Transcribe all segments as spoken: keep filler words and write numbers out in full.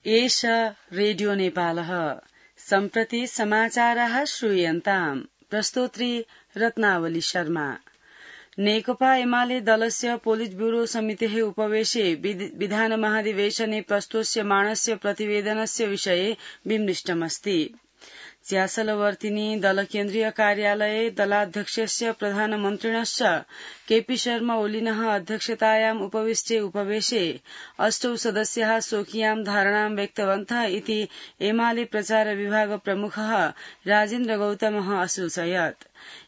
एष रेडियो नेपालः सम्प्रति समाचाराः श्रूयन्ताम् प्रस्तोत्री रत्नावली शर्मा। नेकपा एमाले दलस्य पोलिट ब्यूरो समितेः उपवेशे विधान महाधिवेशने प्रस्तोष्यमाणस्य प्रतिवेदनस्य विषये विमृष्टमस्ति। च्यासलवर्तिनी दल केन्द्रीय कार्यालये दलाध्यक्षस्य प्रधानमन्त्रिणश्च केपी शर्मा ओलिनः अध्यक्षतायाम् उपविष्टे उपवेशे अष्टौ सदस्याः स्वकीयां धारणां व्यक्तवन्तः इति एमाले प्रचार विभाग प्रमुखः राजेन्द्र गौतमः असूचयत्।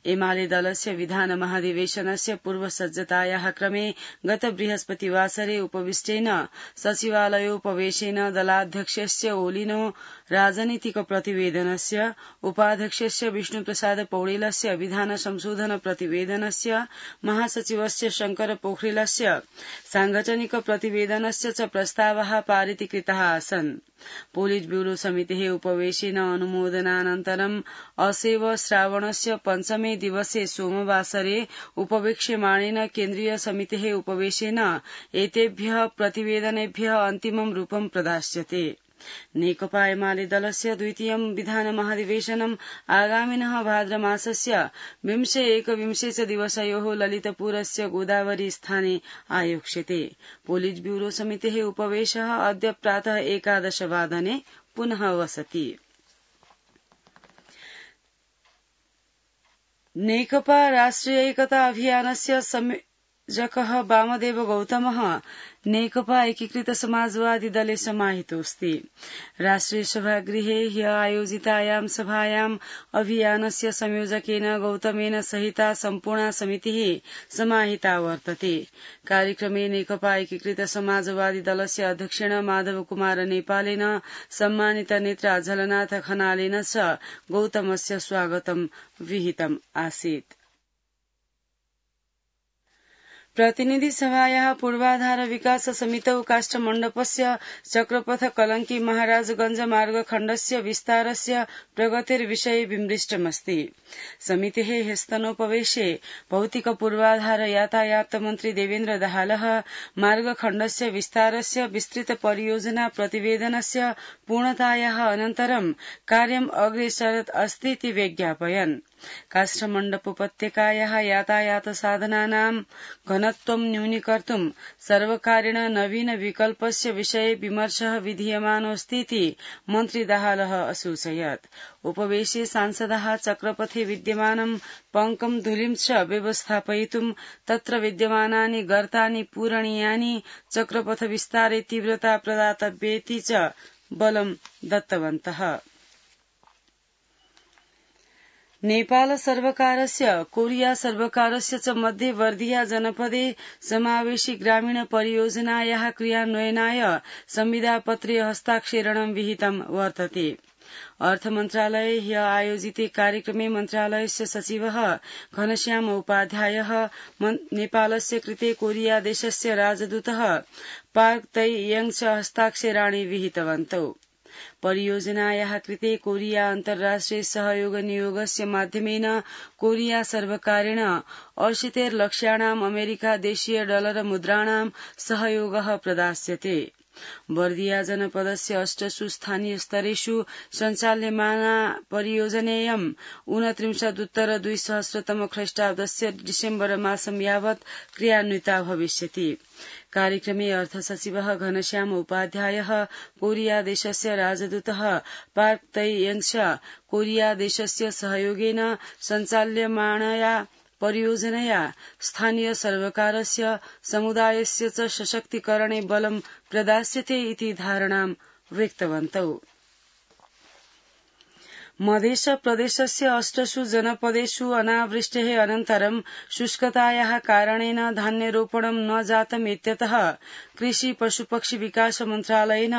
एमाले दलस्य विधान महाधिवेशनस्य पूर्वसज्जतायाः क्रमे गत बृहस्पतिवासरे उपविष्टेन सचिवालयोपवेशेन दलाध्यक्षस्य ओलिनो राजनीतिक प्रतिवेदनस्य, उपाध्यक्षस्य विष्णुप्रसाद पौडेलस्य विधान संशोधन प्रतिवेदनस्य, महासचिवस्य शंकर पोखरेलस्य सांगठनिक प्रतिवेदनस्य च प्रस्तावाः पारितीकृताः आसन्। पोलिट ब्यूरो समितेः उपवेशेन अनुमोदनानन्तरम् असेव श्रावणस्य पञ्चमे दिवसे सोमवासरे उपवेक्ष्यमाणेन केन्द्रीय समितेः उपवेशेन एतेभ्यः प्रतिवेदनेभ्यः अन्तिमं रूपं प्रदास्यते। नेकपा एमाले दलस्य द्वितीयं विधान महाधिवेशनम् आगामिनः भाद्रमासस्य विंशे एकविंशे च दिवसयोः ललितपुरस्य गोदावरी स्थाने आयोक्ष्यते। पोलिट ब्यूरो समितेः उपवेशः अद्य प्रातः एकादशवादने पुनः वसति। नेकपा राष्ट्रिय एकता अभियानस्य संयोजकः वामदेव गौतमः नेकपा एकीकृत समाजवादी दले समाहितोऽस्ति। राष्ट्रिय सभागृहे ह्यः आयोजितायां सभायाम् अभियानस्य संयोजकेन गौतमेन सहिता सम्पूर्णा समितिः समाहिता वर्तते। कार्यक्रमे नेकपा एकीकृत समाजवादी दलस्य अध्यक्षेण माधव कुमार नेपालेन, सम्मानित नेता झलनाथ खनालेन च गौतमस्य स्वागतं विहितम् आसीत्। प्रतिनिधि सभायाः पूर्वाधार विकास समितौ काष्ठमण्डपस्य चक्रपथ कलंकी महाराजगंज मार्गखण्डस्य विस्तारस्य प्रगतिर्विषये विमृष्टमस्ति। समितेः ह्यस्तनोपवेशे भौतिक पूर्वाधार यातायात मन्त्री देवेन्द्र दाहालः मार्गखण्डस्य विस्तारस्य विस्तृत परियोजना प्रतिवेदनस्य पूर्णतायाः अनन्तरं कार्यम् अग्रेसरत् अस्ति इति व्यज्ञापयन्। काष्ठमण्डप उपत्यकायाः यातायात साधनानां घनत्वं न्यूनीकर्तुं सर्वकारेण नवीन विकल्पस्य विषये विमर्शः विधीयमानोऽस्ति इति मन्त्री दाहालः असूचयत्। उपवेशे सांसदाः चक्रपथे विद्यमानं पङ्कं धूलिं च व्यवस्थापयितुं तत्र विद्यमानानि गर्तानि पूरणीयानि, चक्रपथ विस्तारे तीव्रता प्रदातव्येति च बलं दत्तवन्तः। नेपाल सर्वकारस्य कोरिया सर्वकारस्य च मध्ये वर्धिया जनपदे समावेशी ग्रामीण परियोजनायाः क्रियान्वयनाय संविदापत्रे हस्ताक्षरणं विहितं वर्तते। अर्थमन्त्रालये ह्यः आयोजिते कार्यक्रमे मन्त्रालयस्य सचिवः घनश्याम उपाध्यायः नेपालस्य कृते कोरिया देशस्य राजदूतः पार्क तै यङ च हस्ताक्षराणि विहितवन्तौ। परियोजनायाः कृते कोरिया अन्तर्राष्ट्रिय सहयोग नियोगस्य माध्यमेन कोरिया सर्वकारेण अशीतिर्लक्षाणाम् अमेरिका देशीय डलर मुद्राणां सहयोगः प्रदास्यते। वर्दिया जनपदस्य अष्टसु स्थानीय स्तरेषु सञ्चाल्यमाना परियोजनेयं ऊनत्रिंशदुत्तर द्विसहस्रतम ख्रीष्टाब्दस्य डिसेम्बर मासं यावत् क्रियान्विता भविष्यति। कार्यक्रमे अर्थसचिवः घनश्याम उपाध्यायः, कोरिया देशस्य राजदूतः पार्क तै यङ च कोरिया देशस्य सहयोगेन सञ्चाल्यमाणया परियोजनया स्थानीय सर्वकारस्य समुदायस्य च सशक्तीकरणे बलं प्रदास्यते इति धारणां व्यक्तवन्तौ। मध्य प्रदेशस्य अष्टसु जनपदेषु अनावृष्टेः अनन्तरं शुष्कतायाः कारणेन धान्यरोपणं न जातम् इत्यतः कृषि पशुपक्षी विकास मन्त्रालयेन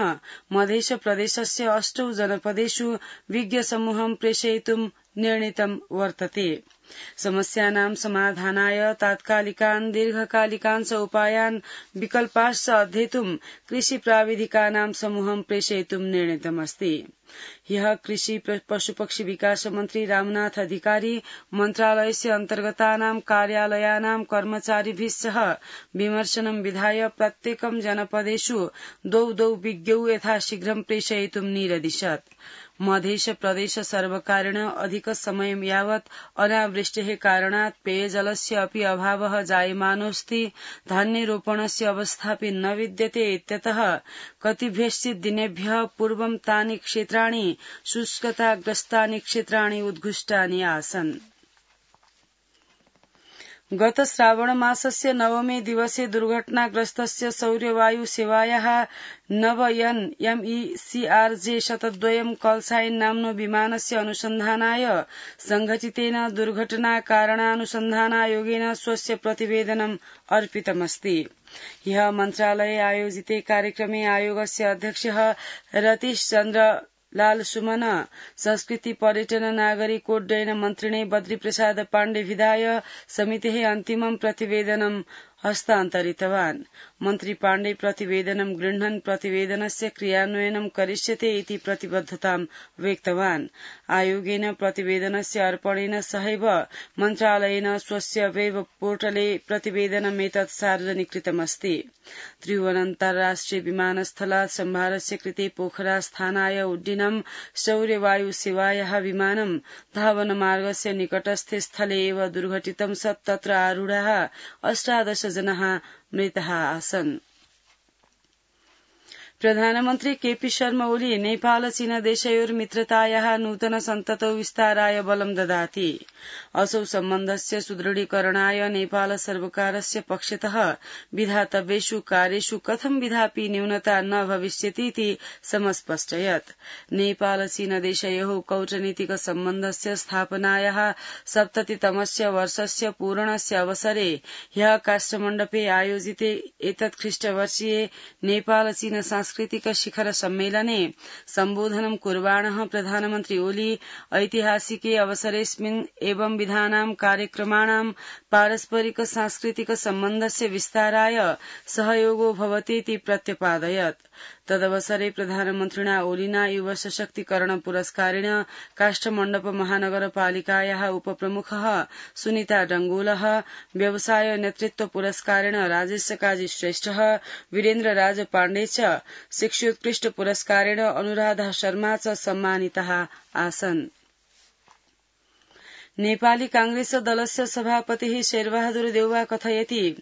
मध्य प्रदेशस्य अष्टौ जनपदेषु विज्ञ समूहं प्रेषयितुं निर्णीतं वर्तते। समस्यानां समाधानाय तात्कालिकान् दीर्घकालिकान् च उपायान् विकल्पाश्च अध्येतुं कृषि प्राविधिकानां समूहं प्रेषयितुं निर्णीतमस्ति। ह्यः कृषि पशुपक्षी विकास मन्त्री रामनाथ अधिकारी मन्त्रालयस्य अन्तर्गतानां कार्यालयानां कर्मचारिभिः सह विमर्शनं विधाय प्रत्येकं जनपदेषु द्वौ द्वौ विज्ञौ यथाशीघ्रं प्रेषयितुं निरदिशत्। मध्य प्रदेश सर्वकारेण अधिक समय यावत् अनावृष्टेः कारणात् पेयजलस्य अपि अभावः जायमानोऽस्ति। धान्यरोपणस्य अवस्थापि न विद्यते इत्यतः कतिभ्यश्चित् दिनेभ्यः पूर्वं तानि क्षेत्राणि शुष्कताग्रस्तानि क्षेत्राणि उद्घुष्टानि आसन्। गत श्रावण मासस्य नवमे दिवसे दुर्घटनाग्रस्तस्य सौर्यवायु सेवायाः नव N M E C R J शतद्वयं कॉलसाइन नाम्नो विमानस्य अनुसन्धानाय संघटितेन दुर्घटनाकारणानुसन्धानायोगेन स्वस्य प्रतिवेदनम् अर्पितमस्ति। ह्यः मन्त्रालये आयोजिते कार्यक्रमे आयोगस्य अध्यक्षः रतीश चन्द्र लाल सुमन संस्कृति पर्यटन नागरिक उड्डयन मन्त्रिणे बद्री प्रसाद पाण्डे विधाय समितेः अन्तिमं प्रतिवेदनं हस्तान्तरितवान्। मन्त्री पाण्डे प्रतिवेदनं गृह्णन् प्रतिवेदनस्य क्रियान्वयनं करिष्यते इति प्रतिबद्धतां व्यक्तवान्। आयोगेन प्रतिवेदनस्य अर्पणेन सहैव मन्त्रालयेन स्वस्य वेब पोर्टले प्रतिवेदनमेतत् सार्वजनिकृतमस्ति। त्रिभुवनान्तर्राष्ट्रिय विमानस्थलात् सम्भारस्य कृते पोखरास्थानाय उड्डीनं सौर्यवायु सेवायाः विमानं धावनमार्गस्य निकटस्थे स्थले एव दुर्घटितं सत् तत्र आरूढाः अष्टादश जनाः मृताः आसन्। प्रधानमन्त्री केपी शर्मा ओली नेपाल चीन देशयोर् मित्रतायाः नूतन सन्ततौ विस्ताराय बलं ददाति। असौ सम्बन्धस्य सुदृढीकरणाय नेपाल सर्वकारस्य पक्षतः विधातव्येषु कार्येषु कथं विधापि न्यूनता न भविष्यतीति समस्पष्टयत्। नेपाल चीन देशयोः कूटनीतिक सम्बन्धस्य स्थापनायाः सप्ततितमस्य वर्षस्य पूरणस्य अवसरे ह्यः काष्ठमण्डपे आयोजिते एतत् ख्रीष्टवर्षीये नेपाल चीन सांस्कृतिक शिखर सम्मेलने सम्बोधनं कुर्वाणः प्रधानमन्त्री ओली ऐतिहासिके अवसरेऽस्मिन् एवं विधानां कार्यक्रमाणां पारस्परिक सांस्कृतिक सम्बन्धस्य विस्ताराय सहयोगो भवतीति प्रत्यपादयत्। तदवसरे प्रधानमन्त्रिणा ओलिना युव सशक्तिकरण पुरस्कारेण काष्ठमण्डप महानगरपालिकायाः उपप्रमुखः सुनीता डंगोलः, व्यवसाय नेतृत्व पुरस्कारेण राजेश काजी श्रेष्ठः, वीरेन्द्र राज पाण्डे च, शिक्षोत्कृष्ट पुरस्कारेण अनुराधा शर्मा च सम्मानिताः आसन्। नेपाली कांग्रेस दलस्य सभापतिः शेरबहादुर देउवा कथयति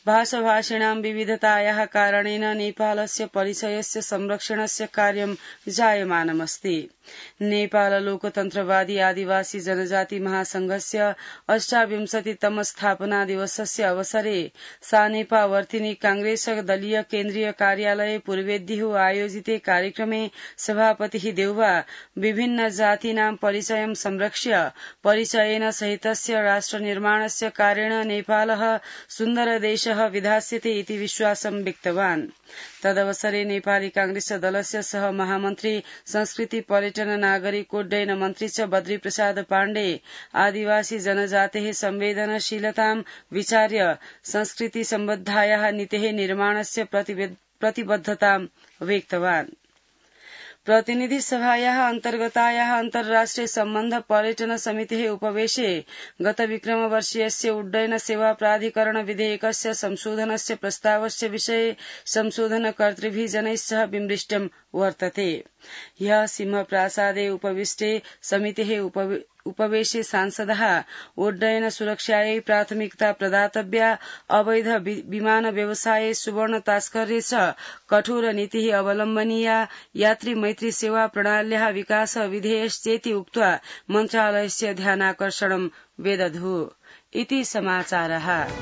भाषाभाषिणां विविधतायाः कारणेन नेपालस्य परिचयस्य संरक्षणस्य कार्यं जायमानमस्ति। नेपाल लोकतन्त्रवादी आदिवासी जनजाति महासंघस्य अष्टाविंशतितम स्थापना दिवसस्य अवसरे सानेपा वर्तिनी कांग्रेस दलीय केन्द्रीय कार्यालये पूर्वेद्युः आयोजिते कार्यक्रमे सभापतिः देउवा विभिन्न जातीनां परिचयं संरक्ष्य परिचयेन सहितस्य राष्ट्रनिर्माणस्य कार्येण नेपालः सुन्दर देशः विधास्यते इति विश्वासं व्यक्तवान्। तदवसरे नेपाली कांग्रेस दलस्य सह महामन्त्री संस्कृति पर्यटन नागरिकोड्डयन मन्त्री च बद्री प्रसाद पाण्डे आदिवासी जनजातेः संवेदनशीलतां विचार्य संस्कृति सम्बद्धायाः नीतेः निर्माणस्य प्रतिबद्धतां व्यक्तवान्। प्रतिनिधि सभायाः अन्तर्गतायाः अन्तर्राष्ट्रिय सम्बन्ध पर्यटन समितेः उपवेशे गत विक्रमवर्षीयस्य उड्डयन सेवा प्राधिकरण विधेयकस्य संशोधनस्य प्रस्तावस्य विषये संशोधनकर्तृभिः जनैः सह विमृष्टं वर्तते। ह्यः सिंहप्रासादे उपविष्टे समितेः उपवेशे सांसदः उड्डयन सुरक्षायै प्राथमिकता प्रदातव्या, अवैध विमान व्यवसाये सुवर्ण तास्कर्ये च कठोर नीतिः अवलम्बनीया, यात्री मैत्री सेवा प्रणाल्याः विकास विधेयश्चेति उक्त्वा मन्त्रालयस्य ध्यानाकर्षणं वेदधुः इति समाचारः।